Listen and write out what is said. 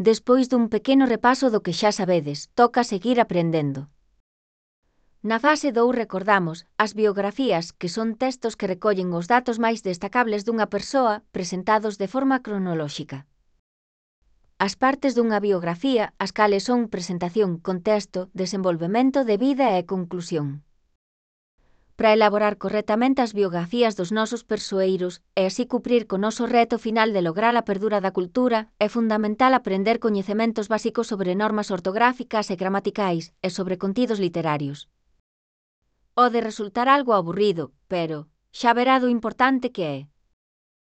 Despois dun pequeno repaso do que xa sabedes, toca seguir aprendendo. Na fase 2 recordamos as biografías, que son textos que recollen os datos máis destacables dunha persoa presentados de forma cronolóxica. As partes dunha biografía, as cales son presentación, contexto, desenvolvemento de vida e conclusión. Para elaborar correctamente as biografías dos nosos persoeiros e así cumprir co noso reto final de lograr a perdura da cultura, é fundamental aprender coñecementos básicos sobre normas ortográficas e gramaticais e sobre contidos literarios. Pode resultar algo aburrido, pero xa verá do importante que é.